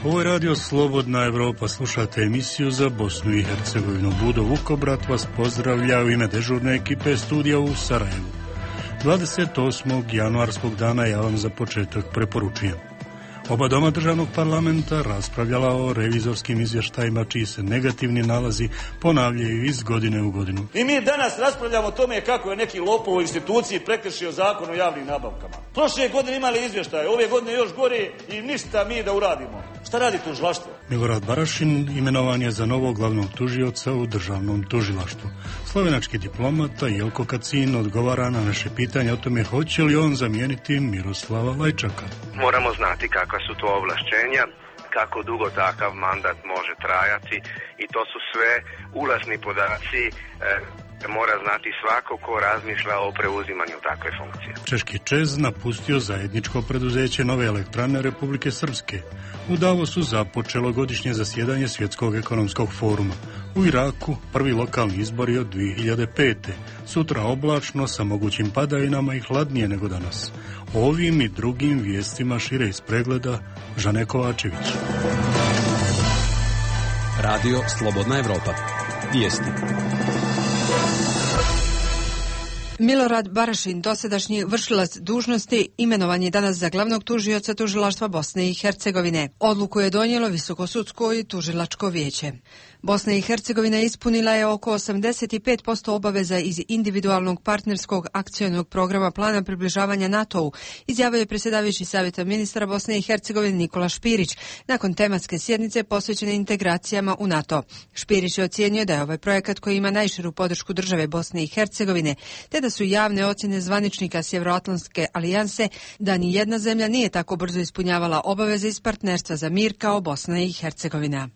Ovo je radio Slobodna Evropa, slušate emisiju za Bosnu i Hercegovinu. Budo Vukobrat vas pozdravlja u ime dežurne ekipe studija u Sarajevu. 28. januarskog dana ja vam za početak preporučujem. Oba doma državnog parlamenta raspravljala o revizorskim izvještajima čiji se negativni nalazi ponavljaju iz godine u godinu. I mi danas raspravljamo o tome kako je neki lopov u instituciji prekršio zakon o javnim nabavkama. Prošle godine imali izvještaje, ove godine još gore i ništa mi da uradimo. Šta radi tužilaštvo? Milorad Barašin imenovan je za novog glavnog tužioca u državnom tužilaštvu. Slovenački diplomata Jelko Kacin odgovara na naše pitanje o tome hoće li on zamijeniti Miroslava Lajčaka. Moramo znati kakva su to ovlašćenja, kako dugo takav mandat može trajati i to su sve ulazni podaci mora znati svako ko razmišlja o preuzimanju takve funkcije. Češki ČEZ napustio zajedničko preduzeće Nove elektrane Republike Srpske. U Davosu započelo godišnje zasjedanje Svjetskog ekonomskog foruma. U Iraku prvi lokalni izbori od 2005. Sutra oblačno sa mogućim padavinama i hladnije nego danas. Ovim i drugim vijestima šire iz pregleda Žane Kovačević. Radio Slobodna Evropa. Vijesti. Milorad Barašin, dosadašnji vršilac dužnosti, imenovan je danas za glavnog tužioca tužilaštva Bosne i Hercegovine. Odluku je donijelo Visokosudsko i tužilačko vijeće. Bosna i Hercegovina ispunila je oko 85% obaveza iz individualnog partnerskog akcionog programa plana približavanja NATO-u, izjavio je predsjedavajući Savjeta ministara Bosne i Hercegovine Nikola Špirić nakon tematske sjednice posvećene integracijama u NATO. Špirić je ocijenio da je ovaj projekat koji ima najširu podršku države Bosne i Hercegovine, te da su javne ocjene zvaničnika Sjevernoatlantske alijanse da ni jedna zemlja nije tako brzo ispunjavala obaveze iz partnerstva za mir kao Bosna i Hercegovina.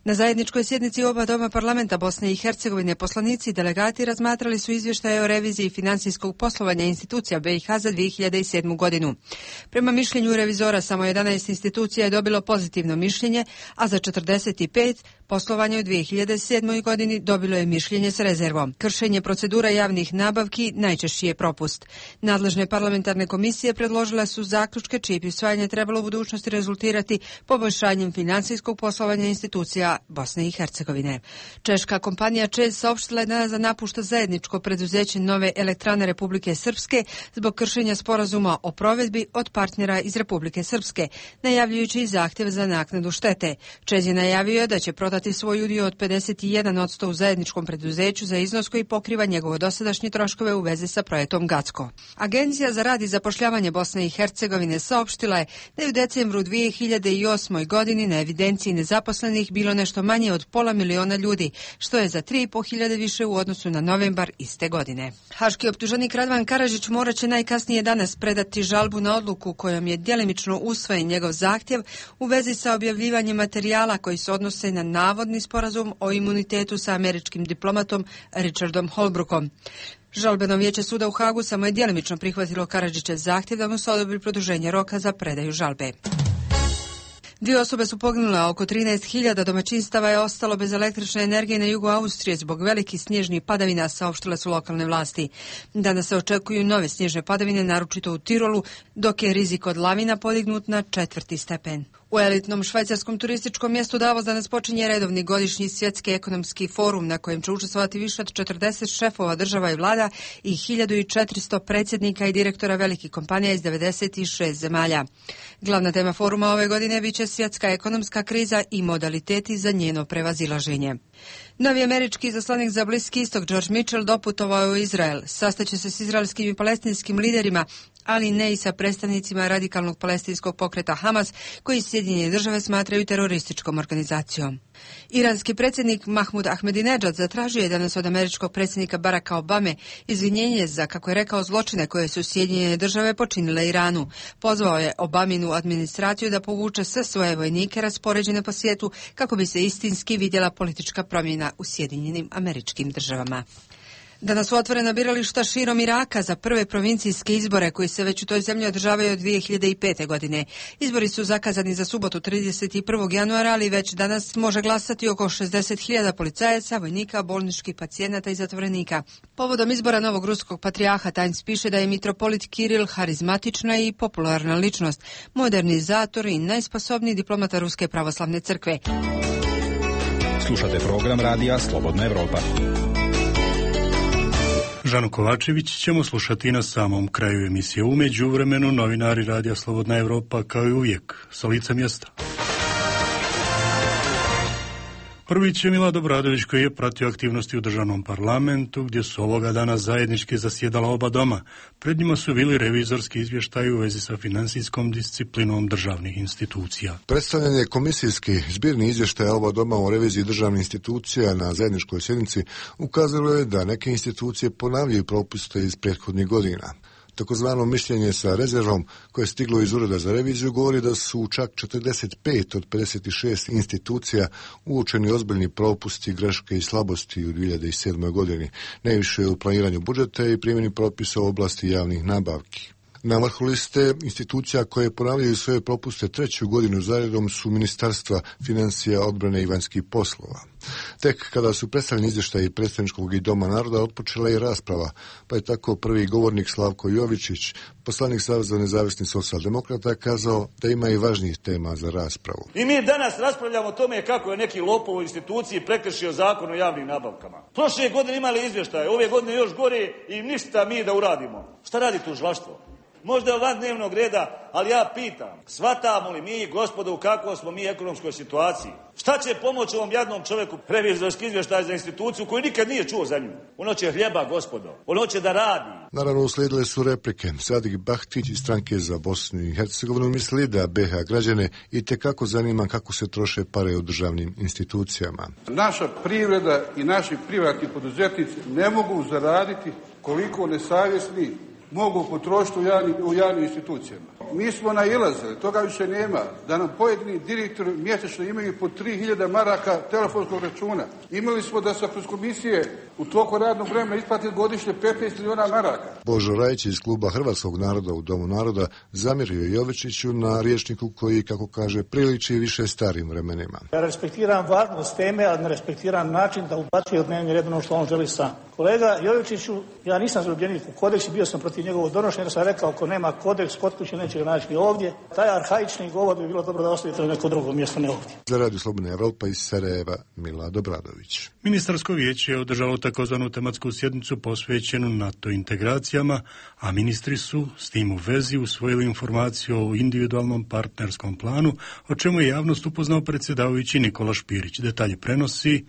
Na zajedničkoj sjednici oba doma parlamenta Bosne i Hercegovine poslanici i delegati razmatrali su izvještaje o reviziji financijskog poslovanja institucija BiH za 2007. godinu. Prema mišljenju revizora samo 11 institucija je dobilo pozitivno mišljenje, a za 45 poslovanje u 2007. godini dobilo je mišljenje s rezervom. Kršenje procedura javnih nabavki najčešći je propust. Nadležne parlamentarne komisije predložile su zaključke čije bi usvajanje trebalo u budućnosti rezultirati poboljšanjem financijskog poslovanja institucija Bosne i Hercegovine. Češka kompanija ČEZ saopštila je danas da napušta zajedničko preduzeće Nove elektrane Republike Srpske zbog kršenja sporazuma o provedbi od partnera iz Republike Srpske, najavljujući i zahtjev za naknadu štete. ČEZ je najavio da će prodati svoj udio od 51% u zajedničkom preduzeću za iznos koji pokriva njegovo dosadašnje troškove u vezi sa projektom Gacko. Agencija za rad i zapošljavanje Bosne i Hercegovine saopštila je da je u decembru 2008. godini na evidenciji nezaposlenih bilo nešto manje od 500.000 ljudi, što je za 3.500 više u odnosu na novembar iste godine. Haški optuženik Radvan Karadžić morat će najkasnije danas predati žalbu na odluku kojom je djelimično usvojen njegov zahtjev u vezi sa objavljivanjem materijala koji se odnose na navodni sporazum o imunitetu sa američkim diplomatom Richardom Holbrookom. Žalbeno vijeće suda u Hagu samo je djelimično prihvatilo Karadžićev zahtjev da mu se odobri produženje roka za predaju žalbe. 2 osobe su poginule, a oko 13.000 domaćinstava je ostalo bez električne energije na jugu Austrije zbog velikih snježnih padavina, saopštile su lokalne vlasti. Danas se očekuju nove snježne padavine, naročito u Tirolu, dok je rizik od lavina podignut na 4. stepen. U elitnom švajcarskom turističkom mjestu Davos danas počinje redovni godišnji svjetski ekonomski forum na kojem će učestvovati više od 40 šefova država i vlada i 1400 predsjednika i direktora velikih kompanija iz 96 zemalja. Glavna tema foruma ove godine biće svjetska ekonomska kriza i modaliteti za njeno prevazilaženje. Novi američki izaslanik za Bliski istok George Mitchell doputovao je u Izrael. Sastaće se s izraelskim i palestinskim liderima, ali ne i sa predstavnicima radikalnog palestinskog pokreta Hamas, koji Sjedinjene države smatraju terorističkom organizacijom. Iranski predsjednik Mahmud Ahmadinejad zatražio je danas od američkog predsjednika Baracka Obame izvinjenje za, kako je rekao, zločine koje su Sjedinjene države počinile Iranu. Pozvao je Obaminu administraciju da povuče sve svoje vojnike raspoređene po svijetu kako bi se istinski vidjela politička promjena u Sjedinjenim Američkim Državama. Danas su otvorena birališta širom Iraka za prve provincijske izbore koji se već u toj zemlji održavaju od 2005. godine. Izbori su zakazani za subotu 31. januara, ali već danas može glasati oko 60.000 policajaca, vojnika, bolničkih pacijenata i zatvorenika. Povodom izbora novog ruskog patrijarha Times piše da je mitropolit Kiril harizmatična i popularna ličnost, modernizator i najsposobniji diplomata Ruske pravoslavne crkve. Slušate program radija Slobodna Evropa. Žanu Kovačević ćemo slušati na samom kraju emisije. U međuvremenu novinari radija Slobodna Evropa kao i uvijek sa lica mjesta. Prvić je Milad Obradović koji je pratio aktivnosti u državnom parlamentu gdje su ovoga dana zajednički zasjedala oba doma. Pred njima su bili revizorski izvještaji u vezi sa financijskom disciplinom državnih institucija. Predstavljanje komisijski zbirni izvještaja oba doma o reviziji državnih institucija na zajedničkoj sjednici ukazalo je da neke institucije ponavljaju propuste iz prethodnih godina. Takozvano mišljenje sa rezervom koje je stiglo iz Ureda za reviziju govori da su čak 45 od 56 institucija uočeni ozbiljni propusti, greške i slabosti u 2007. godini, najviše u planiranju budžeta i primjeni propisa u oblasti javnih nabavki. Na vrhu liste institucija koje ponavljaju svoje propuste treću godinu zaredom su Ministarstva financija, odbrane i vanjskih poslova. Tek kada su predstavljeni izvještaji Predstavničkog i Doma naroda otpočela i rasprava, pa je tako prvi govornik Slavko Jovičić, poslanik Saveza nezavisnih socijaldemokrata, kazao da ima i važnijih tema za raspravu. I mi danas raspravljamo o tome kako je neki lopov u instituciji prekršio zakon o javnim nabavkama. Prošle godine imali izvještaje, ove godine još gore i ništa mi da uradimo. Šta radi tužilaštvo? Možda je van dnevnog reda, ali ja pitam, shvatamo li mi, gospodo, u kakvoj smo mi ekonomskoj situaciji? Šta će pomoći ovom jadnom čovjeku revizorski izvještaj za instituciju koju nikad nije čuo za nju? Ono će hljeba, gospodo. Ono će da radi. Naravno, uslijedile su replike. Sadik Bahtić iz stranke za Bosnu i Hercegovinu misli da BiH građane itekako zanima kako se troše pare u državnim institucijama. Naša privreda i naši privatni poduzetnici ne mogu zaraditi koliko nesavjesni mogu potrošiti u javnim institucijama. Mi smo nailazili, toga više nema, da nam pojedini direktori mjesečno imaju po 3000 maraka telefonskog računa. Imali smo da se kroz komisije u toku radnog vremena isplati godišnje 15 milijuna maraka. Božo Rajić iz kluba Hrvatskog naroda u Domu naroda zamjerio Jovičiću na rječniku koji, kako kaže, priliči više starim vremenima. Ja respektiram važnost teme, ali ne respektiram način da ubacuje u dnevni red ono što on želi sam. Kolega Jovičiću, ja nisam zaljubljenik u kodeks i bio sam protiv njegovog donošenja jer sam rekao ako nema kodeks kod kuće neće ga naći ni ovdje. Taj arhaični govor bi bilo dobro da ostavite na neko drugo mjesto, ne ovdje. Za Radio Slobodna Evropa iz Sarajeva, Milad Obradović. Ministarsko vijeće je održalo takozvanu tematsku sjednicu posvećenu NATO integracijama, a ministri su s tim u vezi usvojili informaciju o individualnom partnerskom planu, o čemu je javnost upoznao predsjedavajući Nikola Špirić. Detalje prenosi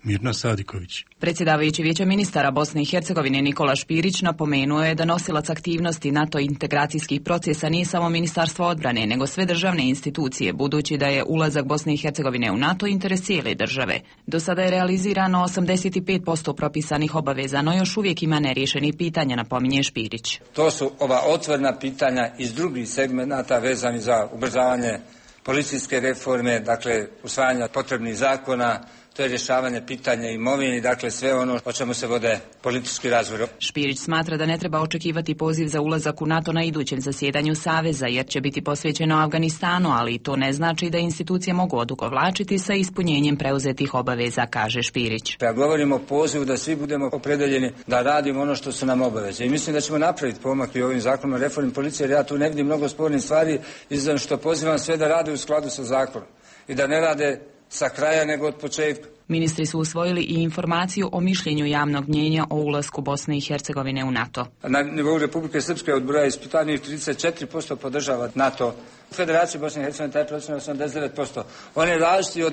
Mirna Sadiković. Predsjedavajući Vijeća ministara Bosne i Hercegovine Nikola Špirić napomenuo je da nosilac aktivnosti NATO integracijskih procesa nije samo Ministarstvo odbrane, nego sve državne institucije, budući da je ulazak Bosne i Hercegovine u NATO interes cijele države. Do sada je realizirano 85% propisanih obaveza, no još uvijek ima neriješenih pitanja, napominje Špirić. To su ova otvorena pitanja iz drugih segmenata vezani za ubrzavanje policijske reforme, dakle usvajanja potrebnih zakona, to je rješavanje pitanja imovine, dakle sve ono o čemu se vode politički razgovor. Špirić smatra da ne treba očekivati poziv za ulazak u NATO na idućem zasjedanju Saveza, jer će biti posvećeno Afganistanu, ali to ne znači da institucije mogu odugovlačiti sa ispunjenjem preuzetih obaveza, kaže Špirić. Ja govorimo o pozivu da svi budemo opredeljeni da radimo ono što su nam obaveze i mislim da ćemo napraviti pomak i ovim zakonom o reformi policije, jer ja tu ne vidim mnogo spornih stvari, izvan što pozivam sve da rade u skladu sa zakonom i da ne rade sa kraja nego od početka. Ministri su usvojili i informaciju o mišljenju javnog mnjenja o ulasku Bosne i Hercegovine u NATO. Na nivou Republike Srpske od broja ispitanih 34% podržava NATO. U Federaciji Bosne i Hercegovine taj procenat 89%. On je različiti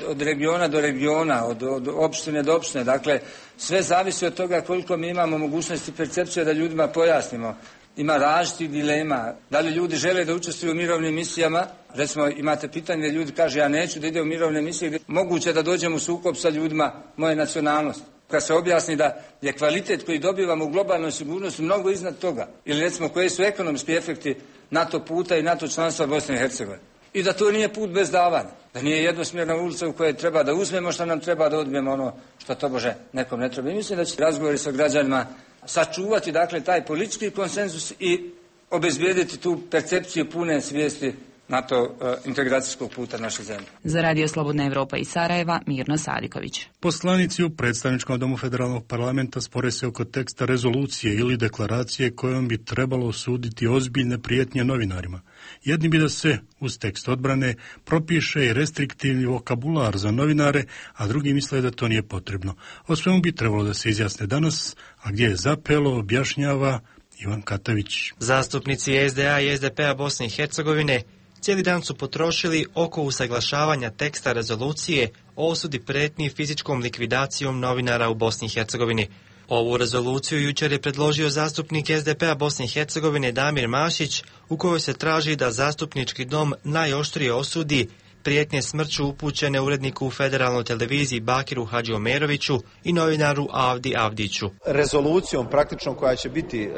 od regiona do regiona, od opštine do opštine. Dakle, sve zavisi od toga koliko mi imamo mogućnosti percepcije da ljudima pojasnimo. Ima različitih dilema. Da li ljudi žele da učestvuju u mirovnim misijama? Recimo, imate pitanje gdje ljudi kaže ja neću da ide u mirovne misije, gdje moguće da dođem u sukob sa ljudima moje nacionalnosti. Kad se objasni da je kvalitet koji dobivamo u globalnoj sigurnosti mnogo iznad toga. Ili recimo koji su ekonomski efekti NATO puta i NATO članstva Bosne i Hercegovine. I da to nije put bez davanja. Da nije jednosmjerna ulica u kojoj treba da uzmemo što nam treba, da odbijemo ono što tobože nekom ne treba. I mislim da će razgovori sa građanima sačuvati dakle taj politički konsenzus i obezbijediti tu percepciju pune svijesti NATO integracijskog puta naše zemlje. Za Radio Slobodna Evropa iz Sarajeva, Mirno Sadiković. Poslanici u predstavničkom domu federalnog parlamenta spore se oko teksta rezolucije ili deklaracije kojom bi trebalo osuditi ozbiljne prijetnje novinarima. Jedni bi da se uz tekst odbrane propiše i restriktivni vokabular za novinare, a drugi misle da to nije potrebno. O svemu bi trebalo da se izjasne danas, a gdje je zapelo, objašnjava Ivan Katavić. Zastupnici SDA i SDP-a Bosne i Hercegovine cijeli dan su potrošili oko usaglašavanja teksta rezolucije o osudi pretnji fizičkom likvidacijom novinara u Bosni i Hercegovini. Ovu rezoluciju jučer je predložio zastupnik SDP-a Bosne i Hercegovine Damir Mašić, u kojoj se traži da zastupnički dom najoštrije osudi prijetnje smrću upućene uredniku u federalnoj televiziji Bakiru Hadžiomeroviću i novinaru Avdi Avdiću. Rezolucijom praktično koja će biti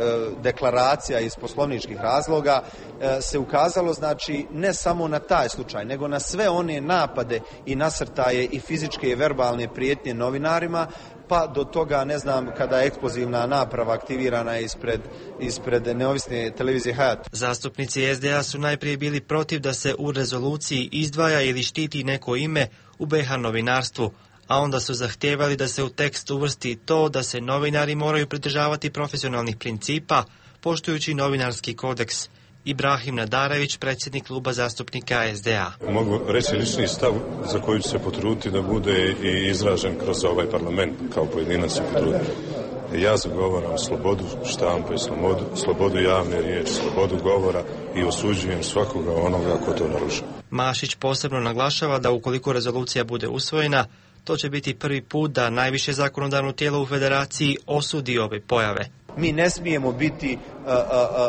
deklaracija iz poslovničkih razloga se ukazalo znači ne samo na taj slučaj, nego na sve one napade i nasrtaje i fizičke i verbalne prijetnje novinarima, pa do toga, ne znam, kada je eksplozivna naprava aktivirana ispred neovisne televizije Hayat. Zastupnici SDA su najprije bili protiv da se u rezoluciji izdvaja ili štiti neko ime u BiH novinarstvu, a onda su zahtijevali da se u tekst uvrsti to da se novinari moraju pridržavati profesionalnih principa, poštujući novinarski kodeks. Ibrahim Nadarević, predsjednik kluba zastupnika SDA. Mogu reći lični stav za koji ću se potruditi da bude i izražen kroz ovaj parlament, kao pojedinac se potruditi. Ja zagovaram slobodu štampe, slobodu javne riječi, slobodu govora i osuđujem svakoga onoga ko to narušava. Mašić posebno naglašava da ukoliko rezolucija bude usvojena, to će biti prvi put da najviše zakonodavno tijelo u federaciji osudi ove pojave. Mi ne smijemo biti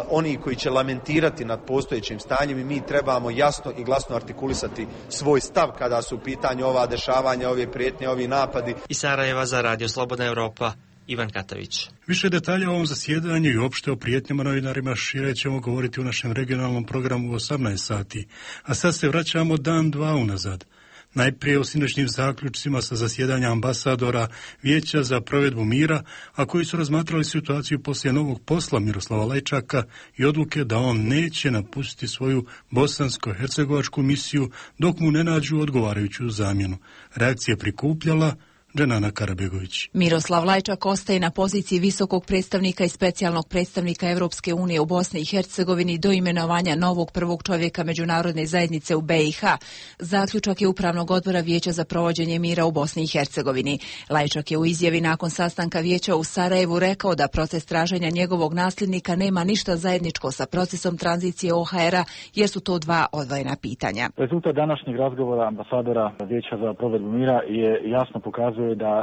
oni koji će lamentirati nad postojećim stanjem i mi trebamo jasno i glasno artikulisati svoj stav kada su u pitanju ova dešavanja, ove prijetnje, ovi napadi. Iz Sarajeva za Radio Slobodna Evropa, Ivan Katavić. Više detalja o ovom zasjedanju i uopšte o prijetnjama novinarima šire ćemo govoriti u našem regionalnom programu u 18 sati. A sad se vraćamo dan, dva unazad. Najprije o sinoćnim zaključcima sa zasjedanja ambasadora Vijeća za provedbu mira, a koji su razmatrali situaciju poslije novog posla Miroslava Lajčaka i odluke da on neće napustiti svoju bosansko-hercegovačku misiju dok mu ne nađu odgovarajuću zamjenu. Reakcija prikupljala Dženana Karabegović. Miroslav Lajčak ostaje na poziciji visokog predstavnika i specijalnog predstavnika Europske unije u Bosni i Hercegovini do imenovanja novog prvog čovjeka međunarodne zajednice u BiH. Zaključak je Upravnog odbora Vijeća za provođenje mira u Bosni i Hercegovini. Lajčak je u izjavi nakon sastanka Vijeća u Sarajevu rekao da proces traženja njegovog nasljednika nema ništa zajedničko sa procesom tranzicije OHR-a, jer su to dva odvojena pitanja. Rezultat današnjeg razgovora ambasadora Vijeća za provedbu mira je jasno pokazuje da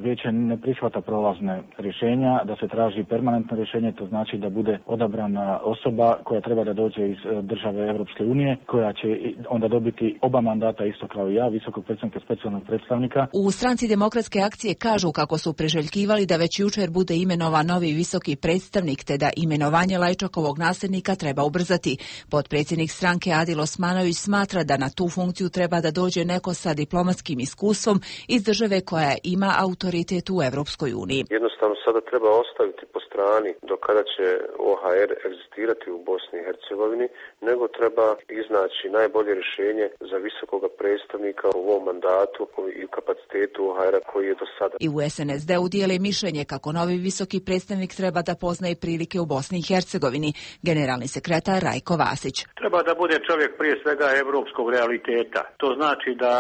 Vijeće ne prihvata prolazne rješenja, da se traži permanentno rješenje, to znači da bude odabrana osoba koja treba da dođe iz države Europske unije, koja će onda dobiti oba mandata isto kao i ja, visokog predstavnika, specijalnog predstavnika. U Stranci demokratske akcije kažu kako su priželjkivali da već jučer bude imenovan novi visoki predstavnik, te da imenovanje Lajčakovog nasljednika treba ubrzati. Potpredsjednik stranke Adil Osmanović smatra da na tu funkciju treba da dođe neko sa diplomatskim iskustvom iz države koja ima autoritet u Europskoj uniji. Jednostavno sada treba ostaviti po strani do kada će OHR egzistirati u Bosni i Hercegovini, nego treba iznaći najbolje rješenje za visokoga predstavnika u ovom mandatu i kapacitetu OHR-a koji je do sada. I u SNSD-u dijele mišljenje kako novi visoki predstavnik treba da poznaje prilike u Bosni i Hercegovini. Generalni sekretar Rajko Vasić. Treba da bude čovjek prije svega europskog realiteta. To znači da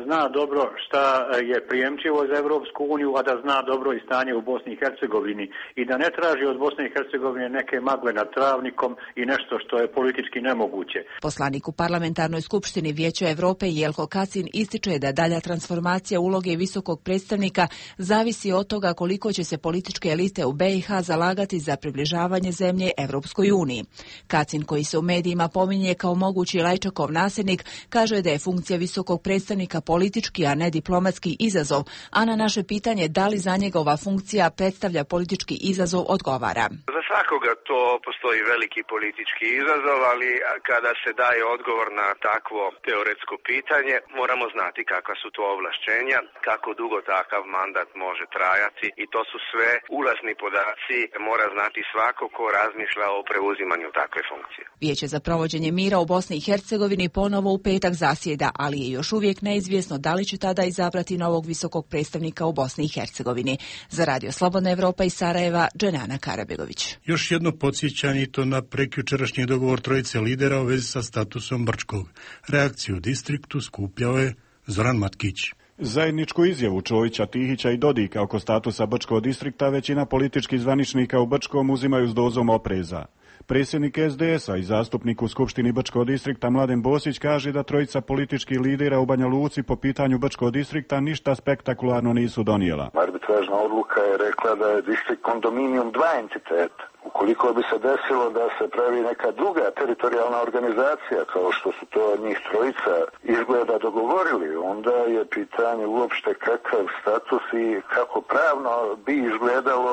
zna dobro šta je prijemčivo za Europsku uniju, a da zna dobro i stanje u Bosni i Hercegovini i da ne traži od Bosne i Hercegovine neke magle nad travnikom i nešto što je politički nemoguće. Poslanik u Parlamentarnoj skupštini Vijeća Europe Jelko Kacin ističe da dalja transformacija uloge visokog predstavnika zavisi od toga koliko će se političke elite u BiH zalagati za približavanje zemlje Europskoj uniji. Kacin, koji se u medijima pominje kao mogući Lajčakov nasljednik, kaže da je funkcija visokog predstavnika politički, a ne diplomatski izazov, a na naše pitanje da li za njega ova funkcija predstavlja politički izazov odgovara. Za svakoga to postoji veliki politički izazov, ali kada se daje odgovor na takvo teoretsko pitanje, moramo znati kakva su to ovlašćenja, kako dugo takav mandat može trajati i to su sve ulazni podaci, mora znati svako ko razmišlja o preuzimanju takve funkcije. Vijeće za provođenje mira u Bosni i Hercegovini ponovo u petak zasjeda, ali je još uvijek neizvjesno da li će tada izabrati novog visokog predstavnika u Bosni i Hercegovini. Za Radio Slobodna Evropa iz Sarajeva, Dženana Karabegović. Još jedno podsjećanje i to na prekjučerašnji dogovor trojice lidera u vezi sa statusom Brčkog. Reakciju u distriktu skupljao je Zoran Matkić. Zajedničku izjavu Čovića, Tihića i Dodika oko statusa Brčkog distrikta većina političkih zvaničnika u Brčkom uzimaju s dozom opreza. Predsjednik SDS-a i zastupnik u Skupštini Brčkog distrikta Mladen Bosić kaže da trojica političkih lidera u Banja Luci po pitanju Brčkog distrikta ništa spektakularno nisu donijela. Arbitražna odluka je rekla da je distrikt kondominijum dva entiteta. Ukoliko bi se desilo da se pravi neka druga teritorijalna organizacija, kao što su to njih trojica izgleda dogovorili, onda je pitanje uopšte kakav status i kako pravno bi izgledalo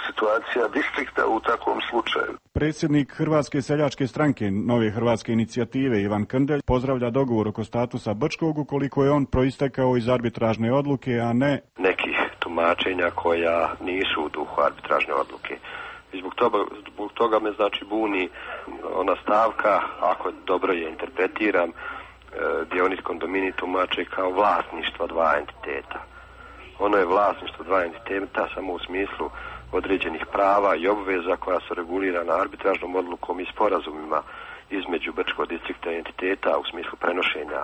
situacija distrikta u takvom slučaju. Predsjednik Hrvatske seljačke stranke Nove hrvatske inicijative Ivan Krndelj pozdravlja dogovor oko statusa Brčkog ukoliko je on proistekao iz arbitražne odluke, a ne nekih tumačenja koja nisu u duhu arbitražne odluke. I zbog toga me znači buni ona stavka, ako dobro je interpretiram, gdje oni kondomini tumače kao vlasništvo dva entiteta. Ono je vlasništvo dva entiteta samo u smislu određenih prava i obveza koja su regulirana arbitražnom odlukom i sporazumima između Brčkog distrikta i entiteta u smislu prenošenja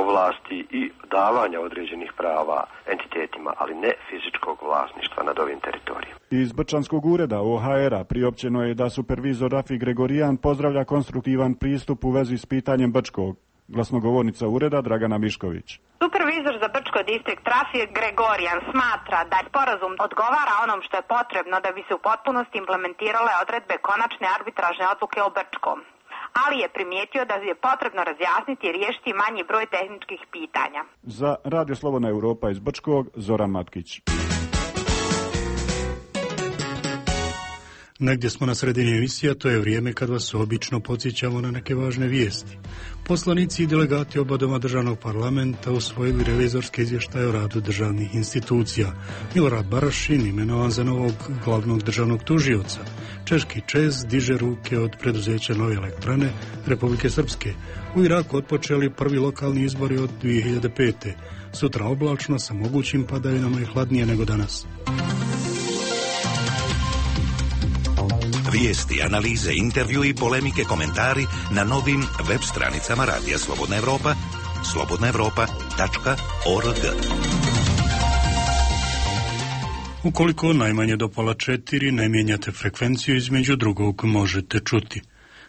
ovlasti i davanja određenih prava entitetima, ali ne fizičkog vlasništva nad ovim teritorijom. Iz Brčanskog ureda OHR-a priopćeno je da supervizor Rafi Gregorijan pozdravlja konstruktivan pristup u vezi s pitanjem Brčkog. Glasnogovornica ureda Dragana Mišković. Supervizor za Brčko distrikt Rafi Gregorijan smatra da sporazum odgovara onom što je potrebno da bi se u potpunosti implementirale odredbe konačne arbitražne odluke o Brčkom. Ali je primijetio da je potrebno razjasniti i riješiti manji broj tehničkih pitanja. Za Radio Slobodna Evropa iz Brčkog, Zoran Matkić. Negdje smo na sredini emisija, to je vrijeme kad vas obično podsjećamo na neke važne vijesti. Poslanici i delegati oba doma državnog parlamenta usvojili revizorske izvještaje o radu državnih institucija. Milorad Barašin imenovan za novog glavnog državnog tužioca. Češki ČEZ diže ruke od preduzeća Nove elektrane Republike Srpske. U Iraku otpočeli prvi lokalni izbori od 2005. Sutra oblačno sa mogućim padavinama i hladnije nego danas. Vijesti, analize, intervju i polemike, komentari na novim web stranicama Radija Slobodna Evropa, slobodnaevropa.org. Ukoliko najmanje do 3:30 ne mijenjate frekvenciju, između drugog možete čuti.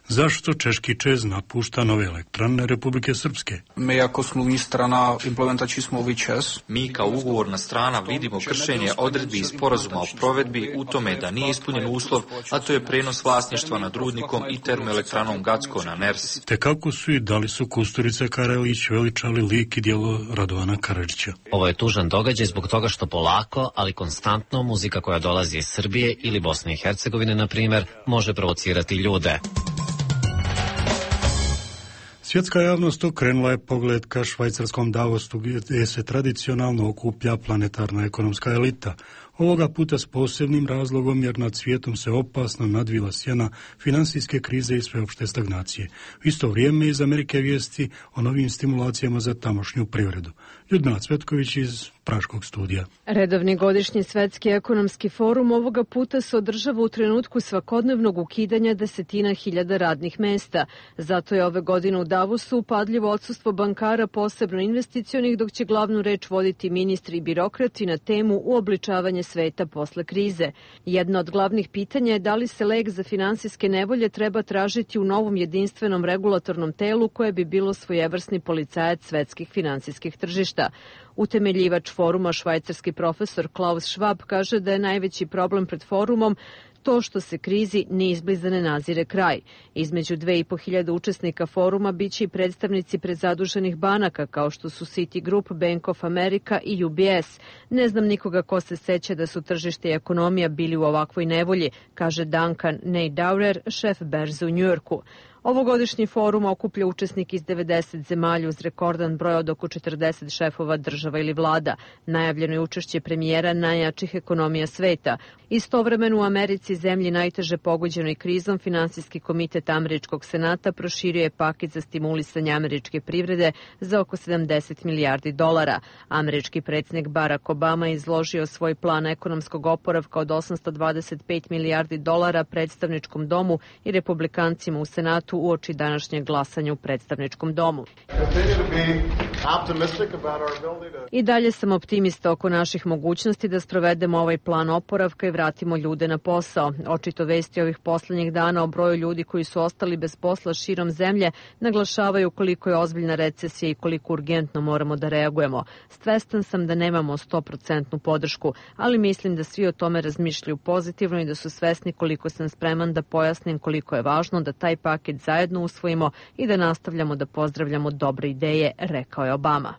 Zašto češki ČEZ napušta Nove elektrane Republike Srpske? My jako smluvní strana implementační smlouvy ČEZ. Mi kao ugovorna strana vidimo kršenje odredbi iz sporazuma o provedbi u tome da nije ispunjen uslov, a to je prenos vlasništva nad rudnikom i termoelektranom Gacko na Ners. Te kako su i da li su Kusturica Karelić veličali lik i djelo Radovana Karadžića? Ovo je tužan događaj zbog toga što polako, ali konstantno muzika koja dolazi iz Srbije ili Bosne i Hercegovine, na primjer, može provocirati ljude. Svjetska javnost okrenula je pogled ka švajcarskom Davosu gdje se tradicionalno okuplja planetarna ekonomska elita. Ovoga puta s posebnim razlogom jer nad svijetom se opasno nadvila sjena finansijske krize i sveopšte stagnacije. U isto vrijeme iz Amerike vijesti o novim stimulacijama za tamošnju privredu. Ljudmila Cvetković iz Praškog studija. Redovni godišnji svetski ekonomski forum ovoga puta se održava u trenutku svakodnevnog ukidanja desetina hiljada radnih mesta. Zato je ove godine u Davosu upadljivo odsustvo bankara, posebno investicionih, dok će glavnu reč voditi ministri i birokrati na temu uobličavanje sveta posle krize. Jedno od glavnih pitanja je da li se lek za finansijske nevolje treba tražiti u novom jedinstvenom regulatornom telu koje bi bilo svojevrsni policajac svetskih finansijskih tržišta. Utemeljivač foruma, švajcarski profesor Klaus Schwab, kaže da je najveći problem pred forumom to što se krizi ni izbliza ne nazire kraj. Između 2.500 učesnika foruma biće i predstavnici prezaduženih banaka kao što su Citigroup, Bank of America i UBS. Ne znam nikoga ko se seća da su tržište i ekonomija bili u ovakvoj nevolji, kaže Duncan Neidaurer, šef berze u Njujorku. Ovogodišnji forum okuplja učesnike iz 90 zemalja uz rekordan broj od oko 40 šefova država ili vlada. Najavljeno je učešće premijera najjačih ekonomija sveta. Istovremeno u Americi, zemlji najteže pogođenoj krizom, Finansijski komitet Američkog senata proširio je paket za stimulisanje američke privrede za oko 70 milijardi dolara. Američki predsjednik Barack Obama je izložio svoj plan ekonomskog oporavka od 825 milijardi dolara predstavničkom domu i republikancima u senatu uoči današnjeg glasanja u predstavničkom domu. I dalje sam optimista oko naših mogućnosti da sprovedemo ovaj plan oporavka i vratimo ljude na posao. Očito vesti ovih poslednjih dana o broju ljudi koji su ostali bez posla širom zemlje naglašavaju koliko je ozbiljna recesija i koliko urgentno moramo da reagujemo. Svestan sam da nemamo 100% podršku, ali mislim da svi o tome razmišljaju pozitivno i da su svesni koliko sam spreman da pojasnim koliko je važno da taj paket zajedno usvojimo i da nastavljamo da pozdravljamo dobre ideje, rekao je Obama.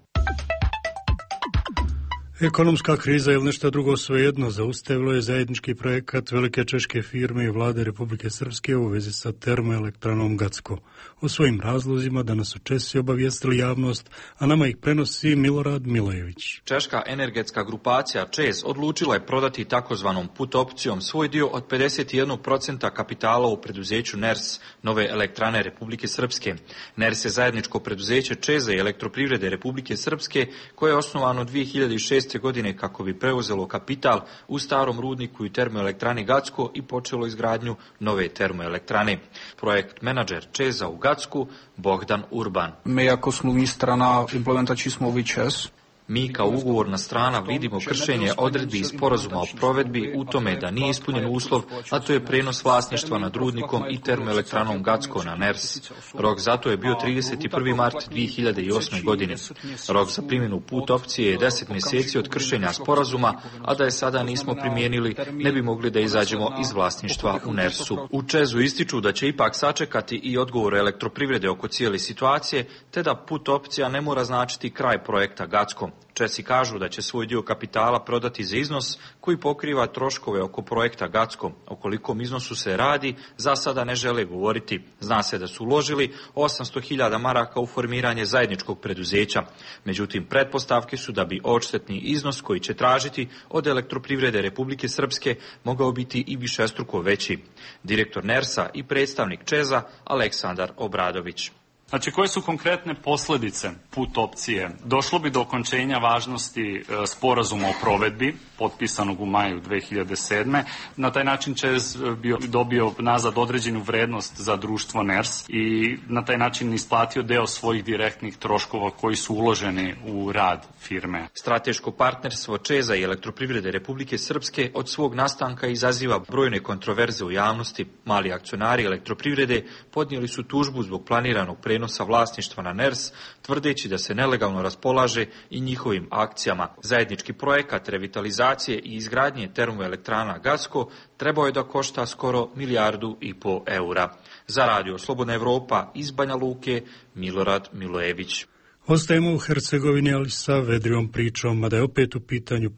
Ekonomska kriza ili nešto drugo svejedno zaustavilo je zajednički projekat velike češke firme i vlade Republike Srpske u vezi sa termoelektranom Gacko. O svojim razlozima danas su Česi obavijestili javnost, a nama ih prenosi Milorad Milojević. Češka energetska grupacija ČEZ odlučila je prodati takozvanom put opcijom svoj dio od 51% kapitala u preduzeću NERS, nove elektrane Republike Srpske. NERS je zajedničko preduzeće ČEZ-a i elektroprivrede Republike Srpske koje je osnovano 2006. godine kako bi preuzelo kapital u starom rudniku i termoelektrani Gacko i počelo izgradnju nove termoelektrane. Projekt menadžer ČEZ-a u Gacku Bogdan Urban. Mi ako smo strana implementači smo ovi ČEZ. Mi kao ugovorna strana vidimo kršenje odredbi iz sporazuma o provedbi u tome da nije ispunjen uslov, a to je prenos vlasništva nad rudnikom i termoelektranom Gacko na NERS. Rok zato je bio 31. mart 2008. godine. Rok za primjenu put opcije je 10 mjeseci od kršenja sporazuma, a da je sada nismo primijenili, ne bi mogli da izađemo iz vlasništva u NERS-u. U ČEZ-u ističu da će ipak sačekati i odgovor elektroprivrede oko cijele situacije, te da put opcija ne mora značiti kraj projekta Gacko. Česi kažu da će svoj dio kapitala prodati za iznos koji pokriva troškove oko projekta Gacko. O kolikom iznosu se radi, za sada ne žele govoriti. Zna se da su uložili 800.000 maraka u formiranje zajedničkog preduzeća. Međutim, pretpostavke su da bi odštetni iznos koji će tražiti od elektroprivrede Republike Srpske mogao biti i višestruko veći. Direktor NERS-a i predstavnik ČEZ-a Aleksandar Obradović. Znači, koje su konkretne posljedice put opcije? Došlo bi do okončenja važnosti sporazuma o provedbi, potpisanog u maju 2007. Na taj način ČEZ bi dobio nazad određenu vrednost za društvo NERS i na taj način isplatio deo svojih direktnih troškova koji su uloženi u rad firme. Strateško partnerstvo ČEZ-a i elektroprivrede Republike Srpske od svog nastanka izaziva brojne kontroverze u javnosti. Mali akcionari elektroprivrede podnijeli su tužbu zbog planiranog prenosa vlasništva na NERS, tvrdeći da se nelegalno raspolaže i njihovim akcijama. Zajednički projekat revitalizacije i izgradnje termoelektrana Gacko trebao je da košta skoro 1,5 milijardu eura. Za Radio Slobodna Evropa iz Banja Luke, Milorad Milojević. Ostajemo u Hercegovini, ali sa vedrijom pričom, a da je opet u pitanju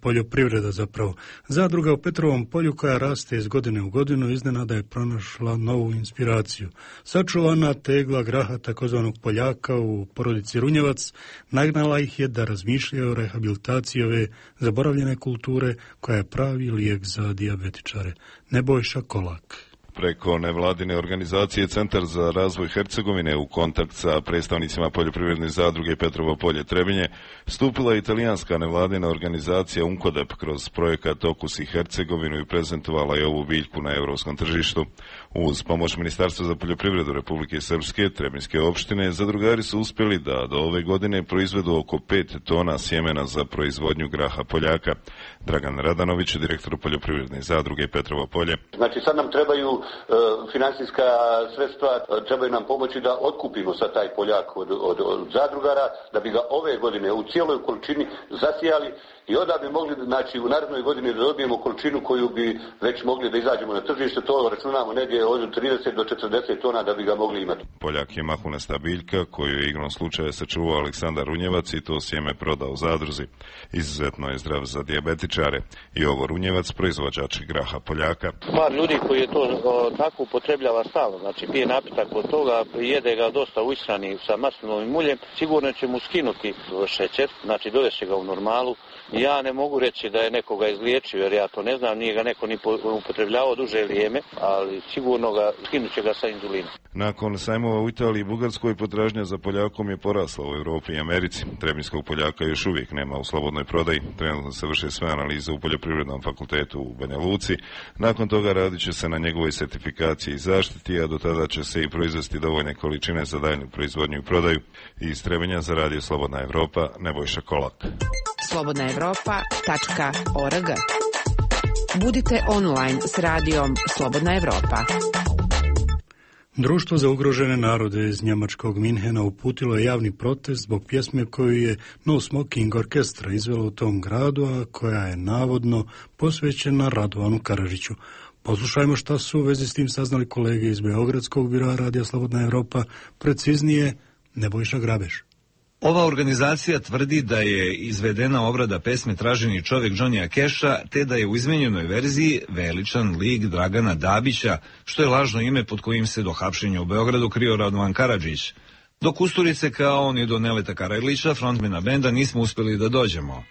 poljoprivreda zapravo. Zadruga u Petrovom polju koja raste iz godine u godinu iznenada je pronašla novu inspiraciju. Sačuvana tegla graha takozvanog Poljaka u porodici Runjevac nagnala ih je da razmišljaju o rehabilitaciji ove zaboravljene kulture koja je pravi lijek za dijabetičare. Nebojša Kolak. Preko nevladine organizacije Centar za razvoj Hercegovine u kontakt sa predstavnicima poljoprivredne zadruge Petrovo polje Trebinje stupila je italijanska nevladina organizacija Unkodep kroz projekat Okusi Hercegovinu i prezentovala je ovu biljku na europskom tržištu. Uz pomoć Ministarstva za poljoprivredu Republike Srpske, Trebinjske opštine, zadrugari su uspjeli da do ove godine proizvedu oko 5 tona sjemena za proizvodnju graha Poljaka. Dragan Radanović, direktor poljoprivredne zadruge Petrovo polje. Znači sad nam trebaju financijska sredstva, trebaju nam pomoći da otkupimo sad taj poljak od zadrugara, da bi ga ove godine u cijeloj količini zasijali i onda bi mogli, znači, u narednoj godini da dobijemo količinu koju bi već mogli da izađemo na tržište, to računamo negdje od 30 do 40 tona da bi ga mogli imati. Poljak je mahunasta biljka koju je igrom slučaja sačuvao Aleksandar Runjevac i to sjeme prodao u zadruzi. Izuzetno je zdrav za dijabetičare. Jovo Runjevac, proizvođač graha Poljaka. Par ljudi koji je to tako upotrebljava stalno, znači pije napitak od toga, jede ga dosta u ishrani sa maslinovim uljem, sigurno će mu skinuti šećer, znači dovešće ga u normalu. Ja ne mogu reći da je nekoga izliječio, jer ja to ne znam, nije ga neko ni upotrebljavao duže vrijeme, ali sigurno skinut će ga sa inzulinom. Nakon sajmova u Italiji i Bugarskoj, potražnja za Poljakom je porasla u Europi i Americi. Trebinskog Poljaka još uvijek nema u slobodnoj prodaji. Trenutno se vrše sve analize u Poljoprivrednom fakultetu u Banja Luci. Nakon toga radit će se na njegovoj sertifikaciji i zaštiti, a do tada će se i proizvesti dovoljne količine za daljnju proizvodnju i prodaju. Iz Trebinja za radio Slobodna Evropa, Nebojša Kolak. slobodnaevropa.org. Budite online s radijom Slobodna Evropa. Društvo za ugrožene narode iz njemačkog Minhena uputilo je javni protest zbog pjesme koju je No Smoking Orkestra izvela u tom gradu, a koja je navodno posvećena Radovanu Karadžiću. Poslušajmo šta su u vezi s tim saznali kolege iz Beogradskog biroa Radija Slobodna Evropa, preciznije Nebojša Grabeš. Ova organizacija tvrdi da je izvedena obrada pesme Traženi čovjek Johnnyja Casha, te da je u izmenjenoj verziji veličan lik Dragana Dabića, što je lažno ime pod kojim se do hapšenja u Beogradu krio Radovan Karadžić. Do Kusturice kao ni do Neleta Karajlića, frontmena benda, nismo uspjeli da dođemo.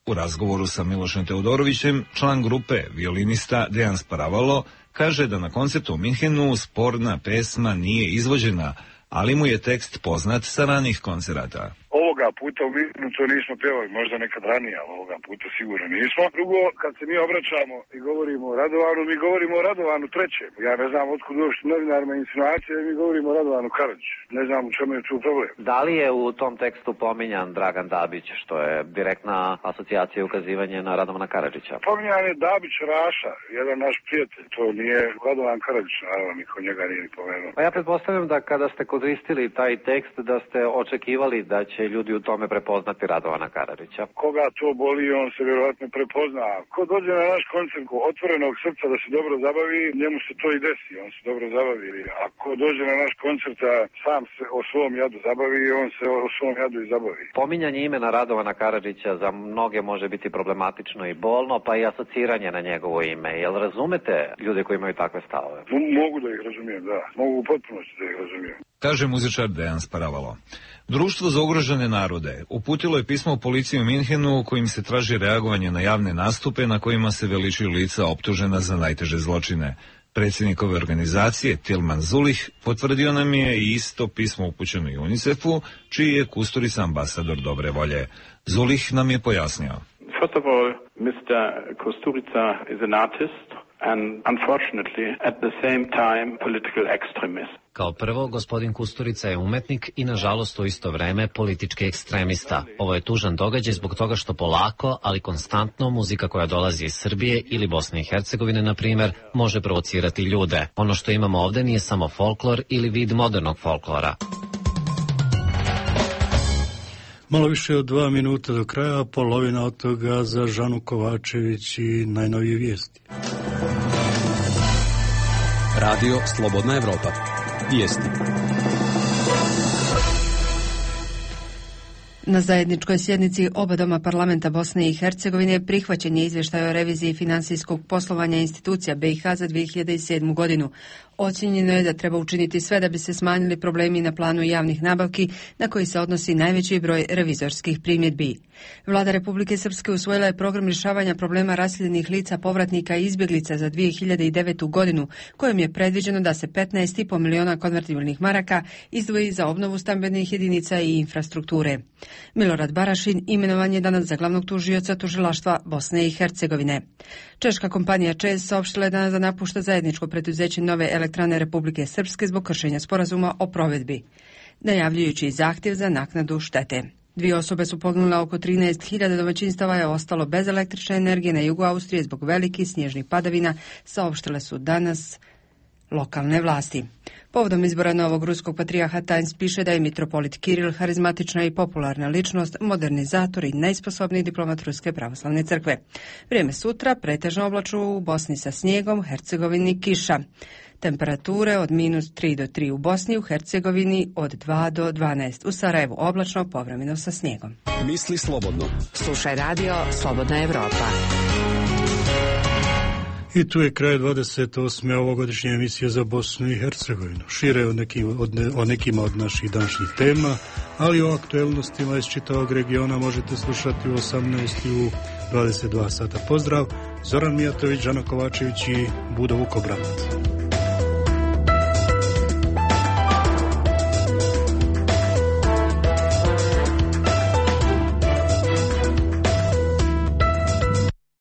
U razgovoru sa Milošem Teodorovićem, član grupe, violinista Dejan Sparavalo, kaže da na koncertu u Minhenu sporna pesma nije izvođena, ali mu je tekst poznat sa ranih koncerata. Ovoga puta u Minhenu to nismo pjevali, možda nekad ranije, ali ovoga puta sigurno nismo. Drugo, kad se mi obraćamo i govorimo o Radovanu, mi govorimo o Radovanu trećem. Ja ne znam otkud uopšte novinarima insinuacije, mi govorimo o Radovanu Karadžiću. Ne znam u čemu je tu problem. Da li je u tom tekstu pominjan Dragan Dabić, što je direktna asocijacija i ukazivanje na Radovana Karadžića? Pominjan je Dabić Raša, jedan naš prijatelj. To nije Radovan Karadžić, naravno, niko njega nije ni pomenuo. Pa ja pretpostavljam da kada ste koristili taj tekst, da ste očekivali da će ljudi u tome prepoznati Radovana Karadžića. Koga to boli, on se vjerojatno prepozna. Ko dođe na naš koncert otvorenog srca da se dobro zabavi, njemu se to i desi, on se dobro zabavi. A ko dođe na naš koncert a sam se o svom jadu zabavi, on se o svom jadu i zabavi. Pominjanje imena Radovana Karadžića za mnoge može biti problematično i bolno, pa i asociranje na njegovo ime. Jel razumete ljude koji imaju takve stavove? Mogu da ih razumijem, da. Mogu u potpunosti da ih razumijem. Kaže muzičar Dejan Sparavalo. Društvo za ugrožene narode uputilo je pismo u policiju u Minhenu kojim se traži reagovanje na javne nastupe na kojima se veličuju lica optužena za najteže zločine. Predsjednik ove organizacije, Tilman Zulih, potvrdio nam je i isto pismo upućeno i UNICEF-u, čiji je Kusturica ambasador dobre volje. Zulih nam je pojasnio. First of all, Mr. Kusturica is an artist and unfortunately at the same time political extremist. Kao prvo, gospodin Kusturica je umetnik i nažalost u isto vreme politički ekstremista. Ovo je tužan događaj zbog toga što polako, ali konstantno muzika koja dolazi iz Srbije ili Bosne i Hercegovine, na primjer, može provocirati ljude. Ono što imamo ovdje nije samo folklor ili vid modernog folklora. Malo više od 2 minuta do kraja, polovina od toga za Žanu Kovačević i najnovije vijesti. Radio Slobodna Evropa. Vijesti. Na zajedničkoj sjednici oba doma parlamenta Bosne i Hercegovine prihvaćen je izvještaj o reviziji finansijskog poslovanja institucija BiH za 2007. godinu. Ocijenjeno je da treba učiniti sve da bi se smanjili problemi na planu javnih nabavki na koji se odnosi najveći broj revizorskih primjedbi. Vlada Republike Srpske usvojila je program rješavanja problema raseljenih lica, povratnika i izbjeglica za 2009. godinu, kojom je predviđeno da se 15,5 miliona konvertibilnih maraka izdvoji za obnovu stambenih jedinica i infrastrukture. Milorad Barašin imenovan je danas za glavnog tužioca tužilaštva Bosne i Hercegovine. Češka kompanija ČEZ saopštila je danas da napušta zajedničko preduzeće Nove elektrane Republike Srpske zbog kršenja sporazuma o provedbi, najavljujući zahtjev za naknadu štete. 2 osobe su poginule, oko 13.000 domaćinstava je ostalo bez električne energije na jugu Austrije zbog velikih snježnih padavina, saopštile su danas lokalne vlasti. Povodom izbora novog ruskog patrijarha Times piše da je mitropolit Kiril harizmatična i popularna ličnost, modernizator i najsposobniji diplomat Ruske pravoslavne crkve. Vrijeme sutra pretežno oblačno u Bosni sa snijegom, Hercegovini kiša. Temperature od -3 do 3 u Bosni, u Hercegovini od 2 do 12. U Sarajevu oblačno, povremeno sa snijegom. Misli slobodno. Slušaj radio Slobodna Evropa. I tu je kraj 28. ovogodišnje emisije za Bosnu i Hercegovinu. Šire o nekima od naših današnjih tema, ali o aktuelnostima iz čitavog regiona možete slušati u 18 i u 22 sata. Pozdrav, Zoran Mijatović, Žana Kovačević i Budo Vukobranac.